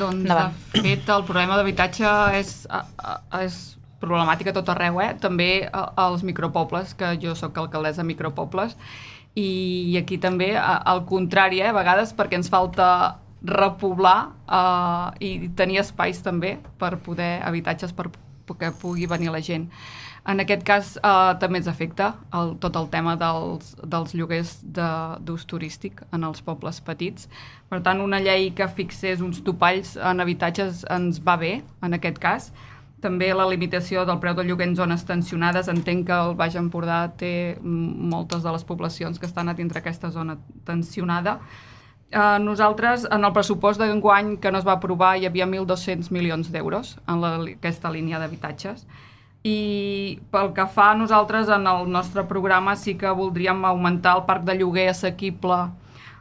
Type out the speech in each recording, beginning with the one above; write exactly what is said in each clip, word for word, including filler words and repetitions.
Doncs, de fet, el problema d'habitatge és, és problemàtica a tot arreu, eh? També als micropobles, que jo sóc alcaldessa de micropobles, i aquí també, al contrari, eh? A vegades perquè ens falta repoblar eh, i tenir espais també per poder, habitatges per que pugui venir la gent. En aquest cas eh, també ens afecta el, tot el tema dels, dels lloguers d'ús turístic en els pobles petits. Per tant, una llei que fixés uns topalls en habitatges ens va bé, en aquest cas. També la limitació del preu del lloguer en zones tensionades. Entenc que el Baix Empordà té moltes de les poblacions que estan a dintre aquesta zona tensionada. Eh, nosaltres, en el pressupost d'enguany que no es va aprovar, hi havia mil dos-cents milions d'euros en la, aquesta línia d'habitatges. I pel que fa a nosaltres, en el nostre programa sí que voldríem augmentar el parc de lloguer assequible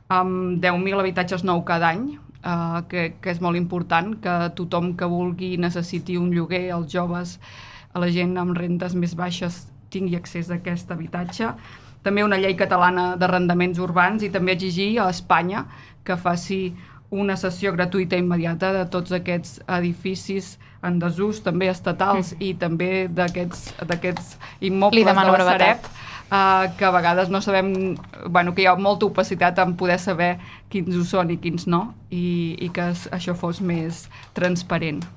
amb deu mil habitatges nou cada any, eh, que, que és molt important, que tothom que vulgui necessiti un lloguer, els joves, a la gent amb rendes més baixes tingui accés a aquest habitatge. També una llei catalana d'arrendaments urbans i també exigir a Espanya que faci una cessió gratuïta i immediata de tots aquests edificis en desús, també estatals, mm. i també d'aquests immobles de la Sareb, uh, que a vegades no sabem, bueno, que hi ha molta opacitat en poder saber quins ho són i quins no, i, i que això fos més transparent.